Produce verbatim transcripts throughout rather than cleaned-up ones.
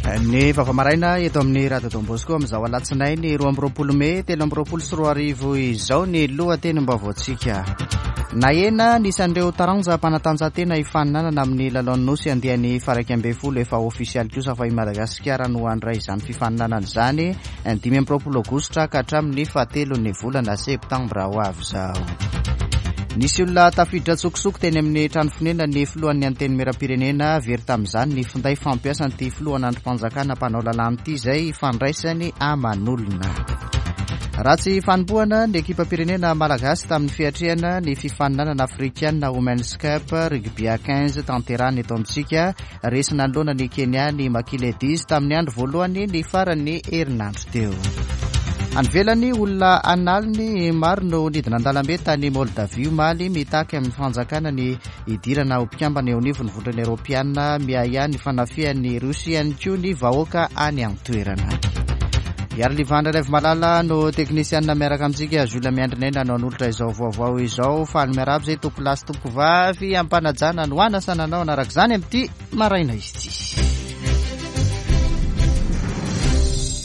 Ny vaovao maraina eto amin'ny Radio Don Bosco amin'izao alatsinainy roa amby roapolo mey telo amby roapolo sy roa arivo izao ny lohatenim-baovaontsika. Nahena ny isan'ireo taranja mpanatanjahantena hifaninanana amin'ny lalaon'ny Nosy andiany faha-iraika ambin'ny folo. Efa ofisialy kosa fa i Madagasikara no handray izany fifaninanana izany ny dimy amby roapolo aogositra ka hatramin'ny fahatelon'ny volana septambra ho avy izao. Nisy olona tafiditra an-tsokosoko teny amin'ny trano fonenan'ny filohan'ny Antenimierampirenena. Very tamin'izany ny finday fampiasan'ity filohan'andrim-panjakana mpanao lalàna ity izay fandraisany aman'olona. Ratsy fanombohana ny ekipam-pirenena malagasy tamin'ny fiatrehana ny fifaninanana afrikana Women's Cup rugby à quinze tanterahana eto amintsika. Resy nanoloana ny Kenya ny Maki Ladies tamin'ny andro voalohany ny faran'ny herinandro teo. Any ivelany, olona an'aliny maro no nidina an-dalambe tany Moldavia omaly mitaky amin'ny fanjakana ny hidirana ho mpikambana eo anivon'ny vondrona eoropeana. Miahiahy ny fanafihan'ny Rosia ihany koa ny vahoaka any an-toerana. Iarolivandra Raivomalala no teknisianina miaraka amintsika. Jules Miandrinaina no hanolotra izao vaovao izao. Faly miarahaba izay tompoko lahy sy tompoko vavy ampanajana no anasana anao anaraka izany amin'ity maraina ity.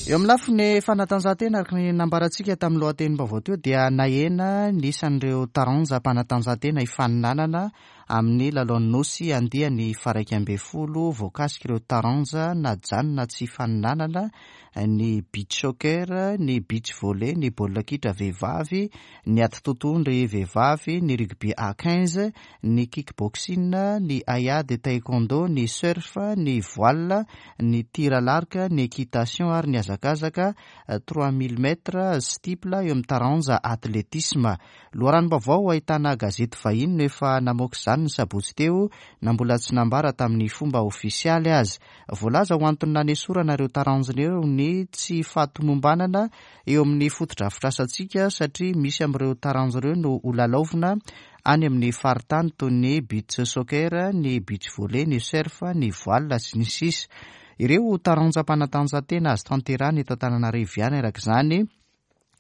Eo amin'ny lafiny fanatanjahantena, araka ny nambarantsika tamin'ny lohatenim-baovao teo, dia nahena ny isan'ireo taranja mpanatanjahantena hifaninanana amin'ny lalaon'ny Nosy andiany faha-iraika ambin'ny folo. Voakasika ireo taranja najanona tsy hifaninanana ny beach soccer, ny beach volley, ny baolina kitra vehivavy, ny ady totohondry vehivavy, ny rugby à quinze, ny kickboxing, ny haiady taekwondo, ny surf, ny voile, ny tir à l'arc, ny équitation ary ny hazakazaka trois mille mètres steeple eo amin'ny taranja athlétisme. Loharanom-baovao ahitana gazety vahiny no efa namoaka izany ny sabotsy teo, na mbola tsy nambara tamin'ny fomba ofisialy aza. Voalaza ho antony nanesorana ireo taranja ireo ny tsy fahatomombanana eo amin'ny fotodrafitrasantsika, satria misy amin'ireo taranja ireo no ho lalaovina any amin'ny faritany toy ny beach soccer, ny beach volley, ny surf, ny voile sy ny sisa. Ireo taranja mpanatanjahantena azo tanterahina eto Antananarivo ihany araka izany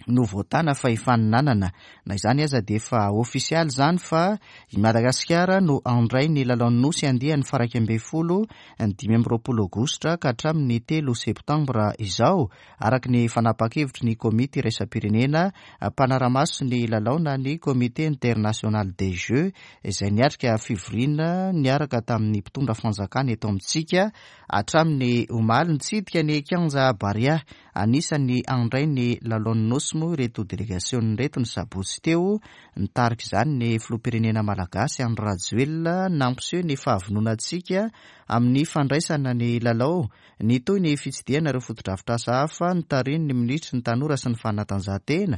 no voatana fa hifaninanana. Na izany aza dia efa ofisialy izany fa i Madagasikara no handray ny lalaon'ny Nosy andiany faha-iraika ambin'ny folo ny dimy amby roapolo aogositra ka hatramin'ny telo septambra izao, araka ny fanapahan-kevitry ny komity iraisam-pirenena mpanara-maso ny lalao na ny Comité international des Jeux, izay niatrika fivoriana niaraka tamin'ny mpitondra fanjakana eto amintsika hatramin'ny omaly. Nitsidika ny kianja Barea anisan'ny handray ny lalaon'ny Nosy moa ireto delegasionina ireto ny sabotsy teo. Nitarika izany ny filoham-pirenena malagasy Andry Rajoelina, nampiseho ny fahavononantsika amin'ny fandraisana ny lalao. Nitohy ny fitsidihana ireo fotodrafitrasa hafa notarihin'ny minisitry ny tanora sy ny fanatanjahantena,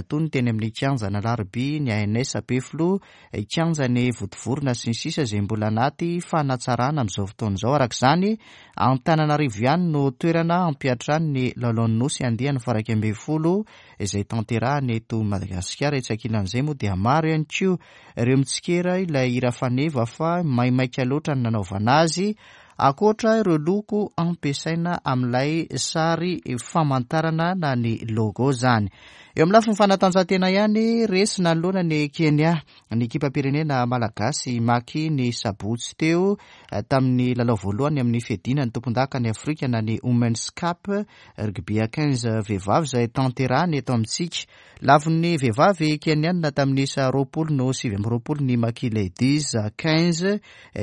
toy ny teny amin'ny kianjan'Alarobia, ny A N S Ampefiloha, kianjan'ny Vontovorona sy ny sisa, izay mbola anaty fanatsarana amin'izao fotoana izao. Araka izany, Antananarivo ihany no toerana hampiantrano ny lalaon'ny Nosy andiany faha-iraika ambin'ny folo izay tanterahana eto Madagasikara. Etsy ankilan'izay moa dia maro ihany koa ireo mitsikera ilay hira faneva fa maimaika loatra ny nanaovana azy, ankoatra ireo loko ampiasaina amin'ilay sary famantarana na ny logo zany. Eo amin'ny lafiny fanatanjahantena ihany, resy nanoloana ny Kenya ny ekipam-pirenena malagasy Maki ny sabotsy teo tamin'ny lalao voalohany amin'ny fiadiana ny tompondaka ny Afrika na ny Women's Cup rugby à quinze vehivavy izay tanterahana eto amintsika. Lavon'ny vehivavy kenianina tamin'ny isa roapolo no sivy amby roapolo ny Maki Ladies quinze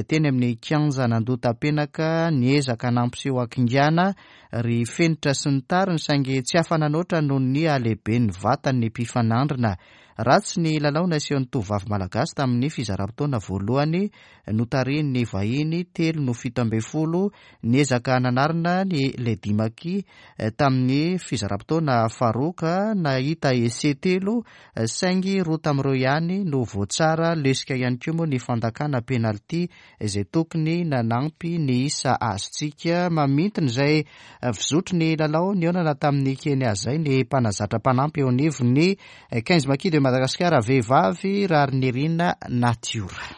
teny amin'ny kianja Andohatapenaka. Niezaka nampiseho hakingana ry Fenitra sy ny tariny, saingy tsy afa-nanoatra noho ny halehiben'ny vatan'ny mpifanandrina. Ratsy ny lalao nasehon'ny tovovavy malagasy tamin'ny fizaram-potoana voalohany notarihin'ny vahiny telo no fito ambin'ny folo. Niezaka nanarina ny Lady Maki tamin'ny fizaram-potoana faharoa ka nahita essai telo, saingy roa tamin'ireo ihany no voatsara. Lesika ihany koa moa ny fandakana penalty izay tokony nanampy ny isa azontsika. Mamintina izay fizotry ny lalao nihaonana tamin'ny Kenya izay ny mpanazatra mpanampy eo anivon'ny quinze Maki de Madagasikara vehivavy, Raharinirina Natiora.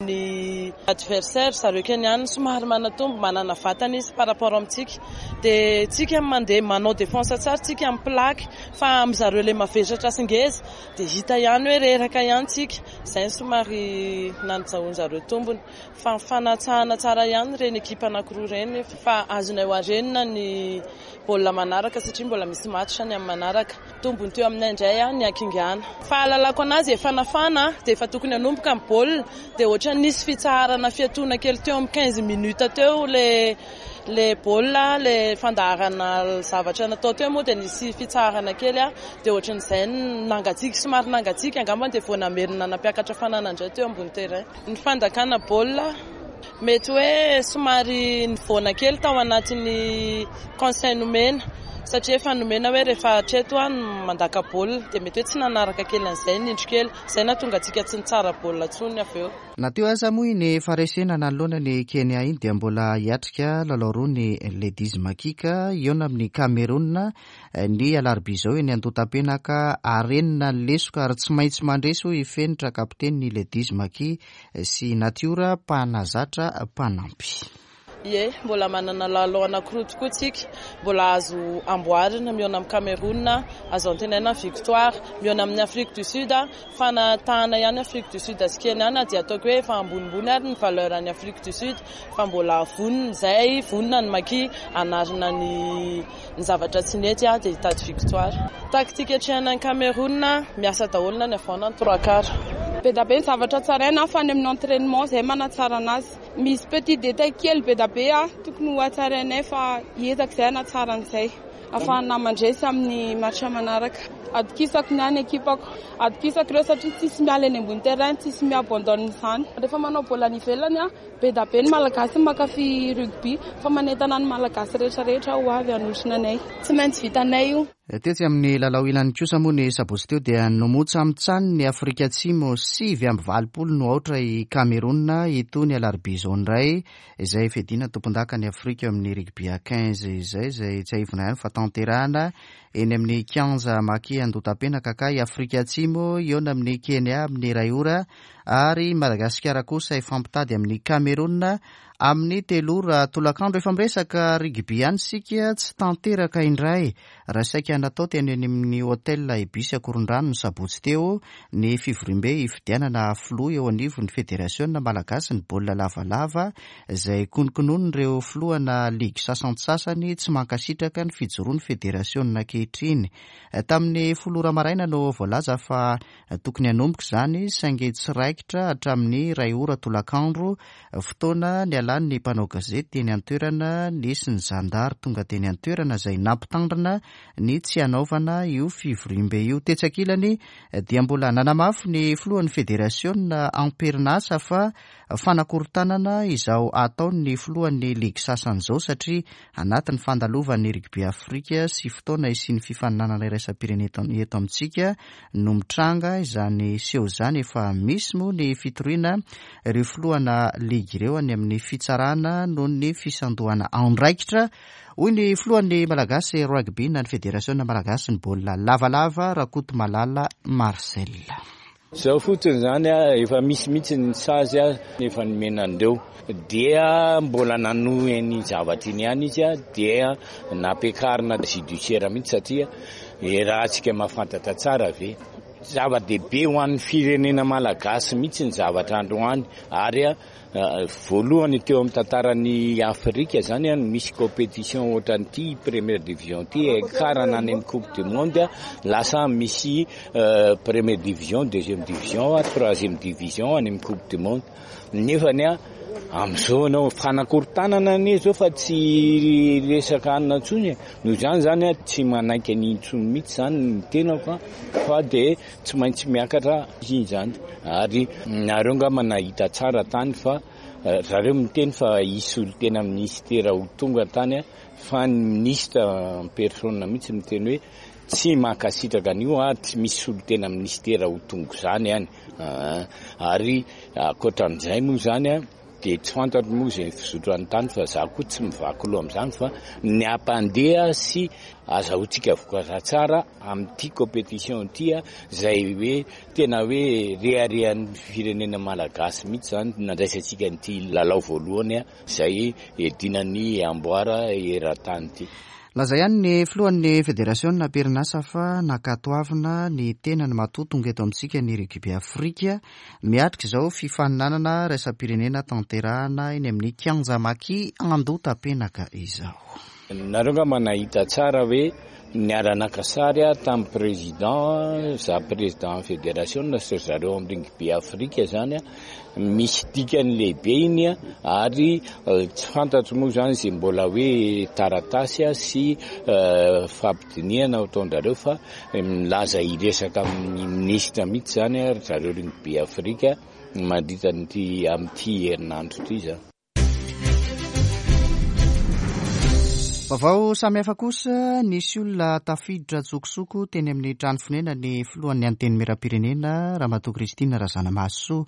Ny Adversaire zareo Keniana somary manatombo, manana vatana izy par rapport amintsika, dia tsika mandeha manao défense tsara, tsika amin'ny plaque, fa amin'ny zareo le mavesatra sy ngeza dia hita ihany hoe reraka ihany tsika. Izay somary nanajahoan-jareo tombony, fa fanatsahana tsara ihany ireny ekipa anankiroa ireny, fa azonay hoarenina ny baolina manaraka satria mbola misy match ny amin'ny manaraka. Tombony teo aminay indray ny hakingana. Fahalalako anazy efa nafana dia efa tokony hanomboka ny baolina, dia ohatra nisy fitsaharana fiatoana kely teo amin'ny quinze minutes teo le le baolina, le fandaharana zavatra natao teo moa dia nisy fitsaharana kely a, dia ohatran'izay nangatsiaka, somary nangatsiaka angamba, dia vao namerina nampiakatra fanana indray teo ambony terrain. Ny fandakana baolina mety hoe somary nivoana kely tao anatin'ny conseil nomena, satria efa nomena hoe rehefa hatreto a mandaka baolina, dia mety hoe tsy nanaraka kely an'izay nindro kely, izay nahatonga antsika tsy nitsara baolina intsony avy eo. Na teo aza moa iny faharesena nanoloana ny Kenya iny dia mbola hiatrika lalao roa ny Ladies Maki ka hihaona amin'ny Cameroun ny alarobia izao eny Andohatapenaka. Arenina ny lesoka ary tsy maintsy mandresy hoy Fenitra, kapiteny ny Ladies Maki, sy Natiora mpanazatra mpanampy. Ie, mbola manana lalao anankiroa tokoa tsika, mbola azo amboarina. Mihaona amin'ny Cameroun, azo antenaina victoire. Mihaona amin'ny Afrique du Sud, fanatahana ihany Afrique du Sud sy Kenya, dia ataoko hoe efa ambonimbony ary ny valeur any Afrique du Sud, fa mbola vonona izay, vonona ny Maki hanarina ny ny zavatra tsy nety dia hitady victoire. Taktika atrehana ny Cameroun, miasa daholo na ny avant na ny trois quarts. Be dia be ny zavatra tsaraina fa any amin'ny entraînement izay manatsara anazy. Misy petit détail kely be dia be a tokony ho hatsarainay, fa hiezaka izay hanatsara an'izay ahafahana mandresy amin'ny match manaraka. Atokisako ny any ekipako, atokisako ireo satria tsisy miala eny ambony terrain, tsisy mi-abandonne izany. Rehefa manao baolina any ivelany a, be dia be ny Malagasy mankafy rugby, fa manentana ny Malagasy rehetrarehetra ho avy hanotrona anay. Tsy maintsy vitanay io. Tetsy amin'ny lalao ilany kosa moa ny sabotsy teo dia nomotsamitsany ny Afrika Atsimo sivy amby valopolo no aotra i Cameroun. Itony alarobia izao indray izay fiadiana tompondaka ny Afrika amin'ny rugby à quinze izay, izay tsiahivina ihany fa tanterahana eny amin'ny kianja Maki Andohatapenaka, ka i Afrika Atsimo hihaona amin'ny Kenya amin'ny iray ora ary Madagasikara kosa hifampitady amin'ny Cameroun amin'ny telo ora tolakandro. Efa miresaka rugby ihany isika, tsy tanteraka indray raha saika natao teny amin'ny hôtel Ibis Ankorondrano ny sabotsy teo ny fivoriambe hifidianana filoha eo anivon'ny Federasiona Malagasy ny baolina lavalava, izay kononkonon'ireo filohana ligy sasantsasany tsy mankasitraka ny fijoroan'ny federasiona ankehitriny. Tamin'ny folo ora maraina no voalaza fa tokony hanomboka izany, saingy tsy raikitra hatramin'ny iray ora tolakandro, fotoana nialan'ny mpanao gazety teny an-toerana. Nisy ny zandary tonga teny an-toerana izay nampitandrina ny tsy hanaovana io fivoriambe io. Tetsy ankilany dia mbola nanamafy ny filohan'ny federasiona amperinasa fa fanakorontanana izao ataon'ny filohan'ny ligy sasany izao, satria anatin'ny fandalovan'ny rugby Afrika sy fotoana isian'ny fifaninanana iraisam-pirenena eto amintsika no mitranga izany seho izany. Efa misy moa ny fitoriana ireo filohana ligy ireo any amin'ny fitsarana noho ny fisandohana andraikitra, hoy ny filohan'ny Malagasy rugby na ny Federasiona Malagasy ny baolina lavalava, Rakotomalala Marcel. Zao fotsiny zany a, efa misy mihitsy ny sazy a, efa nomena andreo, dia mbola nanohy ny zavatra iny ihany izy a, dia nampiakarina judiciaire mihitsy, satria raha antsika mahafantatra tsara ve, zava-dehibe ho an'ny firenena malagasy mihitsy ny zavatra androany. Ary a voalohany teo amin'ny tantaran'ny Afrika zany a misy compétition ohatran'ity première division ty ekarana any amin'ny Coupe du monde, lasa misy première division, deuxième division, troisième division any amin'ny Coupe du monde. Nefany a am'izao anao fanakorontanana anie zao fa tsy resaka anina intsony. Noho izany zany a tsy manaiky an'iny intsony mihitsy zany ny tenako a, fa de tsy maintsy miakatra iny zany. Ary nareo ngamba nahita tsara tany fa zareo miteny fa hisy olo-tena ministera ho tonga tany a, fa ny ministre en personne mihitsy miteny hoe tsy mankasitraka an'io ary tsy misy olo-tena ministera ho tonga zany any. Ary ankoatran'izay moa zany a, Dia tsy fantatro moa izay fizotra ny tany fa za koa tsy mivaky loha amin'izany, fa ny ampandeha sy azahoantsika vokatra tsara amin'ity compétition ity, izay hoe tena hoe reharehan'ny firenena malagasy mihitsy izany nandraisantsika an'ity lalao voalohany izay edinany amboara eran-tany ity. Laza ihany ny filohan'ny federasiona am-perinasa fa nankatoavina ny tenany matoa tonga eto amintsika ny Rugby Afrika miatrika izao fifaninanana iraisam-pirenena tanterahana eny amin'ny kianja Maki Andohatapenaka izao. Nareo angamba nahita tsara hoe niara-naka sary tamin'ny président, za président fédération sy zareo amin'ny Rugby Afrika zany, misy dikany lehibe iny, ary tsy fantatro moa zany izay mbola hoe taratasy sy fampidinihana ataon-drareo, fa milaza hiresaka amin'ny minisitra mihitsy zany ry zareo Rugby Afrika mandritra an'ity amin'ity herinandro ity zany. Vaovao samihafa kosa, nisy olona tafiditra an-tsokosoko teny amin'ny trano fonenan'ny filohan'ny Antenimierampirenena Ramatoa Christine Razanamahasoa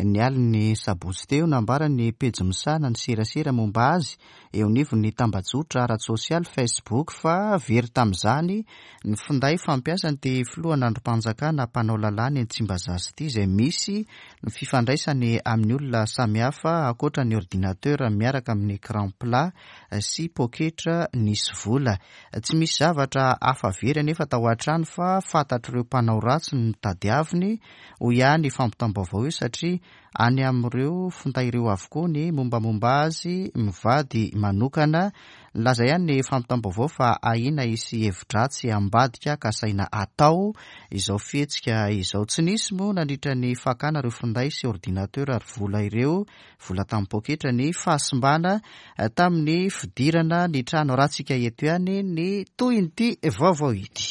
ny alin'ny sabotsy teo. Nambaran'ny pejy misahana ny serasera momba azy eo anivon'ny tambajotra ara-tsosialy Facebook fa very tamin'izany ny finday fampiasan'ity filohan'andrim-panjakana mpanao lalàna eny Tsimbazaza ity, izay misy ny fifandraisany amin'ny olona samihafa ankoatra ny ordinateur miaraka amin'ny écran plat sy poketra nisy vola. Tsy misy zavatra hafa very anefa tao an-trano fa fantatr'ireo mpanao ratsy ny tadiaviny, hoy ihany fampitam-baovao io, satria any amin'ireo finday ireo avokoa ny mombamomba azy mivady manokana. Nilaza ihany ny fampitam-baovao fa ahiana hisy hevi-dratsy ambadika kasaina atao izao fihetsika izao. Tsy nisy moa nandritra ny fakana ireo finday sy ordinateur ary vola ireo, vola tamin'ny poketra, ny fahasimbana tamin'ny fidirana ny trano. Ratsika eto ihany ny tohin'ity vaovao ity.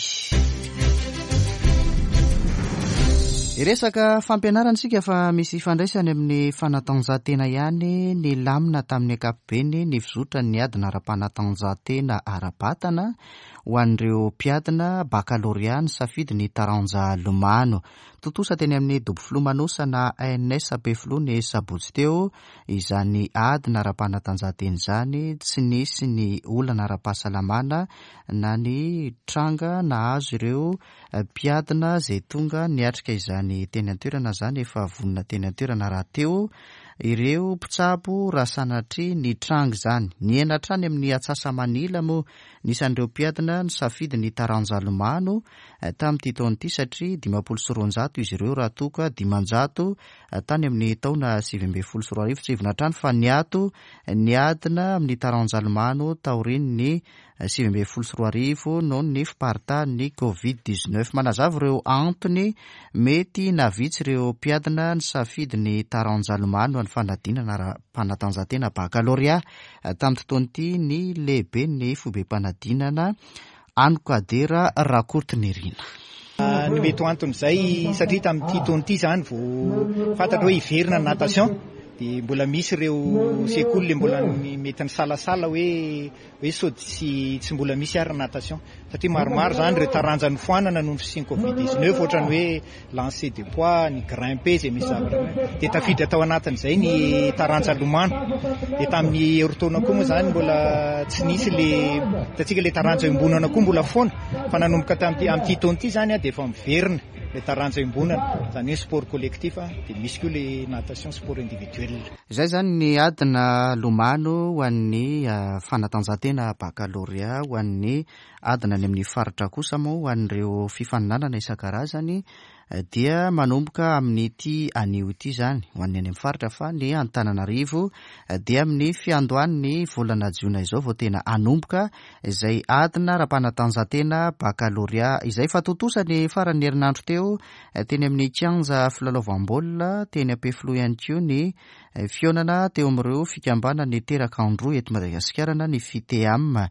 Resaka fampianarana isika fa misy ifandraisany amin'ny fanatanjahantena ihany ny lamina tamin'ny ankapobeny ny fizotra ny adina ara-panatanjahantena ara-batana ho an'ireo mpiadina bakalorea nisafidy ny taranja lomano. Tontosa teny amin'ny dobo filomanosana A N S Ampefiloha ny sabotsy teo izany adina ara-panatanjahantena izany. Tsy nisy ny olana ara-pahasalamana na ny tranga nahazo ireo mpiadina izay tonga niatrika izany teny an-toerana izany. Efa vonona teny an-toerana rahateo ireo mpitsabo raha sanatria ny tranga izany. Nihena hatrany amin'ny atsasa-manila moa ny isan'ireo mpiadina nisafidy ny taranja lomano tamin'ity taona ity, satria dimampolo sy roanjato izy ireo raha toa ka dimanjato tany amin'ny taona sivy ambin'ny folo sy roa arivo. Tsy hivina hatrany fa niato ny adina amin'ny taranja lomano taorian'ny sivy ambin'ny folo sy roa arivo noho ny fiparitahan'ny covid dix-neuf. Manazava ireo antony mety nahavitsy ireo mpiadina nisafidy ny taranja lomano ny fanadinana ara-panatanjahantena bakalorea tamin'ity taona ity ny lehiben'ny foibem-panadinana Anokadera Rakotonirina. Ny mety ho anton'izay, satria tamin'ity taona ity izany vao fantatra hoe hiverina ny natation, dia mbola misy ireo sekoly mbola mety nisalasala hoe hoe sao tsy tsy mbola misy ary natation, satria maromaro izany ireo taranja nofoanana noho ny fisian'ny covid dix-neuf, ohatran'ny hoe lancer de poids, ny grimper izay misy zavatra, dia tafiditra tao anatin'izay ny taranja lomano. Dia tamin'ny herintaona koa moa izany mbola tsy nisy le hitantsika le taranja iombonana koa mbola foana, fa nanomboka tamin'ity amin'ity taona ity izany dia efa miverina le taranja iombonana, izany hoe sport collectif, dia misy koa le natation sport individuel. Izay izany ny adina lomano ho an'ny fanatanjahantena bakalorea, ho an'ny adina any amin'ny faritra kosa moa ho an'ireo fifaninanana isan-karazany dia manomboka amin'ity anio ity izany ho an'ny any amin'ny faritra, fa ny Antananarivo dia amin'ny fiandohan'ny volana jiona izao vao tena hanomboka izay adina ara-panatanjahantena bakalorea izay. Fa tontosa ny faran'ny herinandro teo teny amin'ny kianja filalaovam-baolina teny Ampefiloha ihany koa ny fihaonana teo amin'ireo fikambanana teraka Androy eto Madagasikara na ny FITEAM.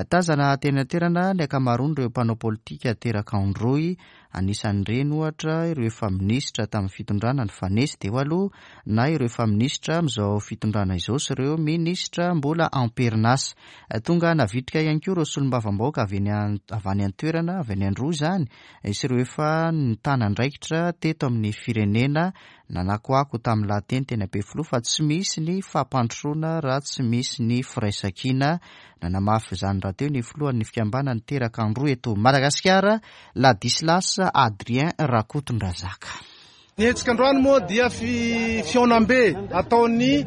Tazana teny an-toerana ny ankamaroan'ireo mpanao politika teraka Androy, anisan'ireny ohatra ireo efa minisitra tamin'ny fitondrana nifanesy teo aloha na ireo efa minisitra amin'izao fitondrana izao sy ireo minisitra mbola am-perinasa. Tonga navitrika ihany koa ireo solombavambahoaka avy eny an-, avy any an-toerana, avy any Androy izany, sy ireo efa nitana andraikitra teto amin'ny firenena Nanakoako tamin'ny lahateny teny Ampefiloha fa tsy misy ny fampandrosoana raha tsy misy ny firaisankina. Nanamafy izany rahateo ny filohan'ny fikambanan'ny teraka Androy eto Madagasikara, Ladislas Adrien Rakotondrazaka. Ny hetsika androany moa dia fihaonambe ataon'ny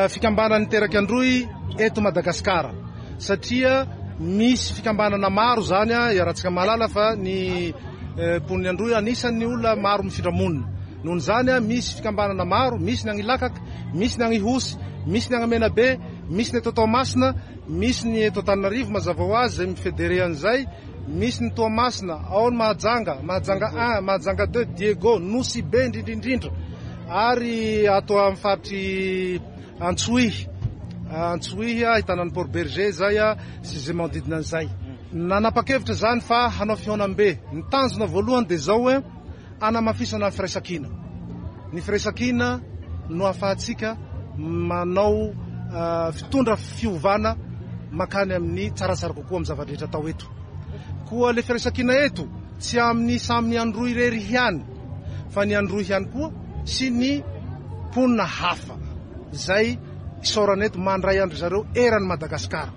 fikambanan'ny teraka Androy eto Madagasikara, satria misy fikambanana maro zany iarahantsika mahalala fa ny mponin'ny Androy anisan'ny olona maro mifindra monina. Noho izany misy fikambanana maro, misy ny any Ilakaka, misy ny any Ihosy, misy ny any Menabe, misy ny eto Toamasina, misy ny eto Antananarivo mazava ho azy izay mifédéré an'izay, misy ny Toamasina, ao ny Mahajanga, Mahajanga un, Mahajanga deux, Diego, Nosy Be indrindra indrindra, ary ato amin'ny faritry Antsohihy, Antsohihy ahitana ny Port Bergé zay sy izay manodidina an'izay. Nanapa-kevitra zany fa hanao fihaonambe. Ny tanjona voalohany dia zao hoe anamafisana ny firaisankina. Ny firaisankina no ahafahantsika manao fitondra fiovana makany amin'ny tsaratsara kokoa amin'ny zava-drehetra atao eto. Koa le firaisankina eto tsy amin'ny samy Androy irery ihany, fa ny Androy ihany koa sy ny mponina hafa izay isaorana eto mandray andry zareo eran'ny Madagasikara.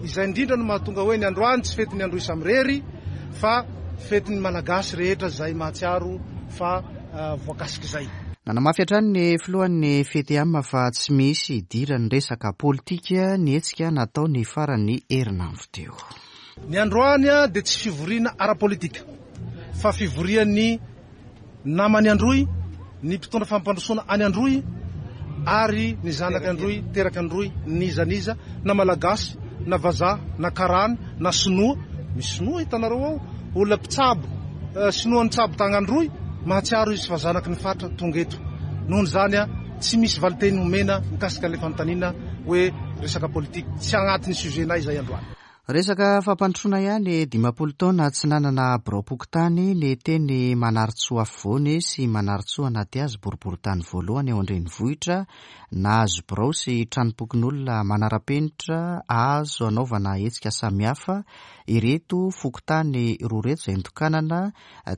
Izay indrindra no mahatonga hoe ny androany tsy fetin'ny Androy samirery fa fetin'ny Malagasy rehetra izay mahatsiaro fa voakasik'izay. Nanamafy hatrany ny filohan'ny F T M fa tsy misy idiran'ny resaka politika ny hetsika natao ny faran'ny herinandro teo. Ny androany dia tsy fivoriana ara-politika fa fivorian'ny namany Androy, ny mpitondra fampandrosoana any Androy ary ny zanaka Androy, teraka Androy, n'iza n'iza, na Malagasy, na vazaha, na karana, na sinoa. Misy sinoa hitanareo ao, olona mpitsabo, sinoa nitsabo tagna Androy, mahatsiaro izy fa zanaky ny faritra tonga eto. Noho izany tsy misy valinteny omena mikasika ilay fanontaniana hoe resaka politika, tsy agnatin'ny sujet-nay izay androany. Resaka fampandrosoana ihany, dimampolo taona tsy nanana biraom-pokontany ny teny Manarintsoa afovoany sy Manarintsoa anaty azy boriborintany voalohany eo an-drenivohitra. Nahazo birao sy tranom-pokonolona manara-penitra azo anaovana hetsika samihafa ireto fokontany roa ireto izay notokanana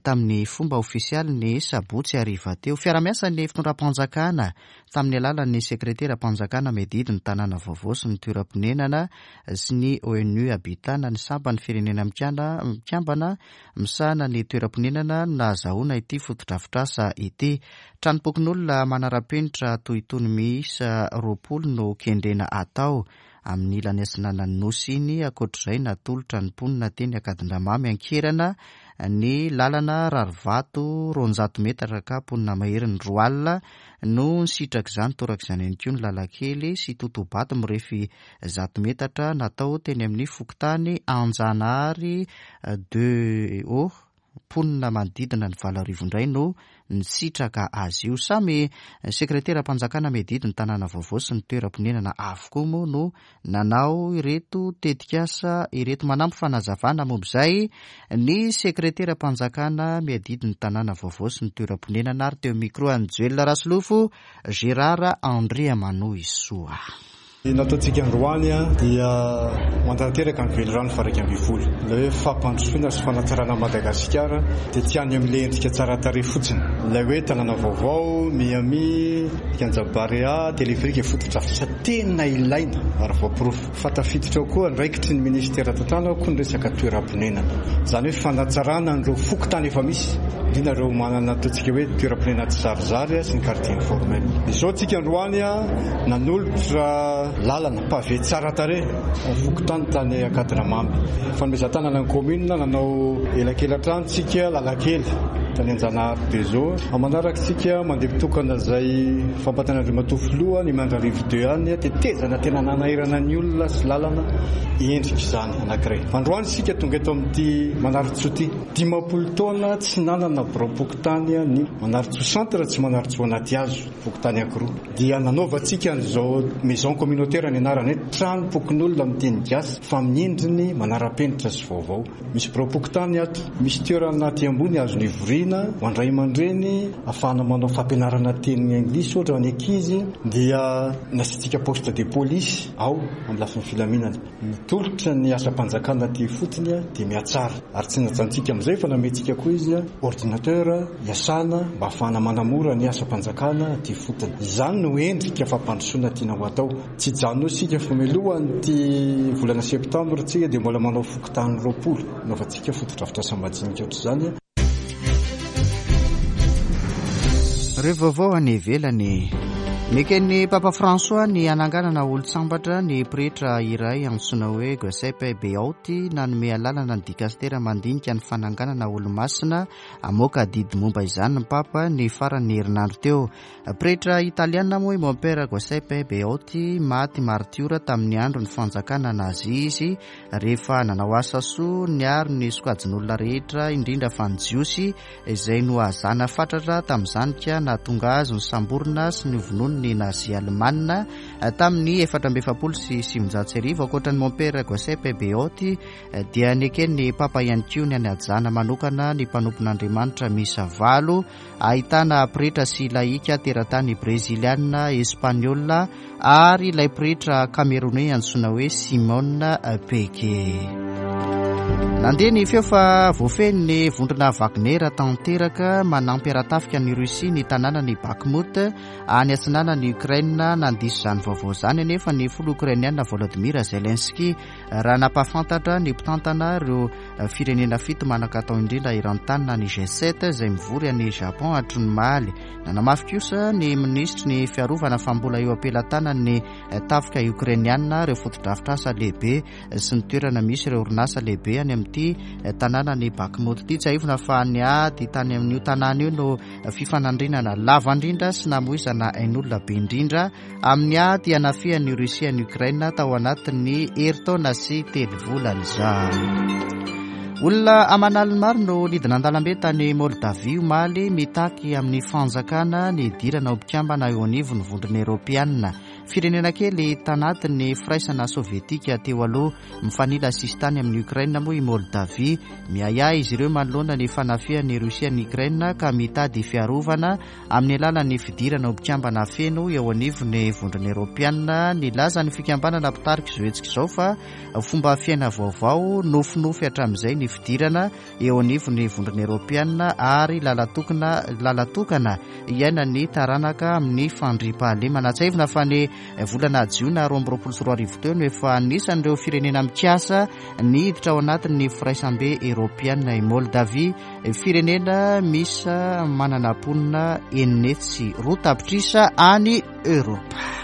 tamin'ny fomba ofisialy ny sabotsy hariva teo. Fiarahamiasa ny fitondram-panjakana tamin'ny alalan'ny sekreteram-panjakana miadidy ny tanàna vaovao sy ny toeram-ponenana sy ny O N U Habitat na ny sampan'ny firenena mikambana misahana ny toeram-ponenana no nahazahoana ity fotodrafitrasa ity. Tranom-pokonolona manara-penitra toy itony miisa roapolo no kendrena atao amin'ny ilany atsinanan'ny nosy iny. Ankoatr'izay, natolotra ny mponina teny Ankadindramamy Ankerana ny lalana rarivato roanjato metatra ka mponina maherin'ny roa alina no nisitraka izany. Torak'izany ihany koa ny lalan-kely sy totobato mirefy zato metatra natao teny amin'ny fokontany Anjanahary deux O. Mponina manodidina ny valo arivo indray no nisitraka azy io. Samy sekreteram-panjakana miadidy ny tanàna vaovao sy ny toeram-ponenana avokoa moa no nanao ireto tetikasa ireto. Manampy fanazavana momba izay ny sekreteram-panjakana miadidy ny tanàna vaovao sy ny toeram-ponenana ary teo micro an'i Joel Rasolofo, Gérard Andriamanohisoa. Ny nataontsika androany dia mantanteraka ny velirano faha iraika ambin'ny folo. Ilay hoe fampandrosoana sy fanatsarana Madagasikara dia tsy any amin'ilay endrika tsara tarehy fotsiny. Ilay hoe tanàna vaovao, Miami, Kianja Barea, téléphérique fotodrafitrasa tena ilaina ary voaporofo. Fa tafiditra ao koa andraikitry ny ministera tantanana koa ny resaka toeram-ponenana. Izany hoe fanatsarana an'ireo fokontany efa misy, indrindra ireo manana ataontsika hoe toeram-ponenana tsy zarizary sy ny quartier informel. Izao tsika androany nanolotra lalana pavé tsara tarehy fokontany tany Ankadindramamy. Fanomezan-tanana ny commune nanao elakela-trano tsika lalakely tany Anjanahary deux O. Manaraka tsika mandeha mitokana izay fampantana-dRamatoa filoha ny Mandrarivo deux any tetezana tena nanahirana ny olona sy lalana endrika izany anankiray. Androany tsika tonga eto amin'ity Manarintsoa ity. Dimampolo taona tsy nanana biraom-pokontany ny Manarintsoa centre tsy Manarintsoa anaty hazo fokontany anankiroa. Dia nanaovantsika an'izao maison communautaire ny anarany hoe tranom-pokonolona amin'ny teny gasy fa amin'ny endriny manara-penitra sy vaovao. Misy biraom-pokontany ato, misy toerana aty ambony azo nivoriana fivoriana ho an-dray aman-dreny ahafahana manao fampianarana teny anglisy ohatra ny ankizy, dia nasiantsika poste de police ao amin'ny lafiny filaminana. Mitolotra ny asam-panjakana aty fotony dia mihatsara, ary tsy najantsika amin'izay fa namentsika koa izy ordinateur iasana mba ahafahana manamora ny asam-panjakana aty fotony. Izany no endrika fampandrosoana tiana ho atao. Tsy hijanona isika fa mialohan'ity volana septambra tsika dia mbola manao fokontany roapolo anaovantsika fotodrafitrasa madinika ohatr'izany. Ireo vaovao any ivelany. Neken'ny Papa François ny hananganana olon-tsambatra ny pretra iray antsoina hoe Giuseppe Beotti. Nanome alalana ny dikastera mandinika ny fananganana olo-masina hamoaka didy momba izany ny Papa ny faran'ny herinandro teo. Pretra italiana moa i Mompera Giuseppe Beotti, maty martiora tamin'ny andro ny fanjakana nazi izy rehefa nanao asa soa niaro ny sokajin'olona rehetra, indrindra fa ny Jiosy izay nohazana fatratra tamin'izany ka nahatonga azy nosamborina sy novonoina ny nazi alemana tamin'ny efatra amby efapolo sy sivinjato sy arivo. Ankoatra ny Mompera Giuseppe Beotti dia neken'ny Papa ihany koa ny hanajana manokana ny mpanompon'Andriamanitra miisa valo, ahitana pretra sy laika teratany breziliana, espaniola ary ilay pretra camerounais antsoina hoe Simon Peke. Nandeha ny feo fa voafehy ny vondrona Wagner tanteraka manampy ara-tafika ny Russie ny tanànan'i Bakhmut any atsinanan'i Ukraine. Nandiso izany vaovao izany anefa ny filoha ukrainiana Volodymyr Zelensky raha nampahafantatra ny mpitantana ireo firenena fito manan-katao indrindra eran-tany na ny G sept izay mivory any Japon hatry ny omaly. Nanamafy kosa ny minisitry ny fiarovana fa mbola eo am-pelatanan'ny tafika ukrainiana ireo fotodrafitrasa lehibe sy ny toerana misy ireo orinasa lehibe any amin'ity tanànan'i Bakhmut ity. Tsiahivina fa ny ady tany amin'io tanàna io no fifanandrinana lava indrindra sy namoizana ain'olona be indrindra amin'ny ady hanafihan'ny Russie an'i Ukraine tao anatin'ny herintaona sy telo volana izao. Olona aman'aliny maro no nidina an-dalambe tany Moldavia omaly mitaky amin'ny fanjakana ny hidirana ho mpikambana eo anivon'ny vondrona eoropeanina. Firenena kely tanatin'ny firaisana sovietika teo aloha mifanila sisintany amin'ny Ukraine moa i Moldavia. Miahiahy izy ireo manoloana ny fanafihan'ny Russie an'i Ukraine ka mitady fiarovana amin'ny alalan'ny fidirana ho mpikambana feno eo anivon'ny vondrona eoropeanina. Nilaza ny fikambanana mpitarika izao hetsika izao fa fomba fiaina vaovao nofinofy hatramin'izay ny fidirana eo anivon'ny vondrona eoropeanina ary lalatokana lalatokana iainan'ny taranaka amin'ny fandriampahalemana. Tsiahivina fa ny volana jiona roa amby roapolo sy roa arivo teo no efa anisan'ireo firenena mikasa niditra ao anatin'ny firaisambe eoropeanina i Moldavia, firenena misy manana mponina enina hetsy sy roa tapitrisa any Eoropa.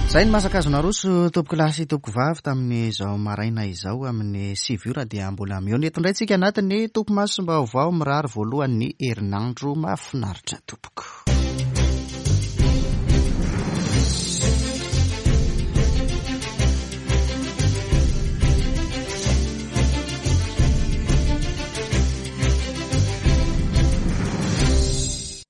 Izay ny masaka naroso tompoko lahy sy tompoko vavy tamin'izao maraina izao amin'ny sivy ora dia mbola mihaona eto indray tsika anatin'ny topimasom-baovao mirary voalohan'ny herinandro mahafinaritra tompoko.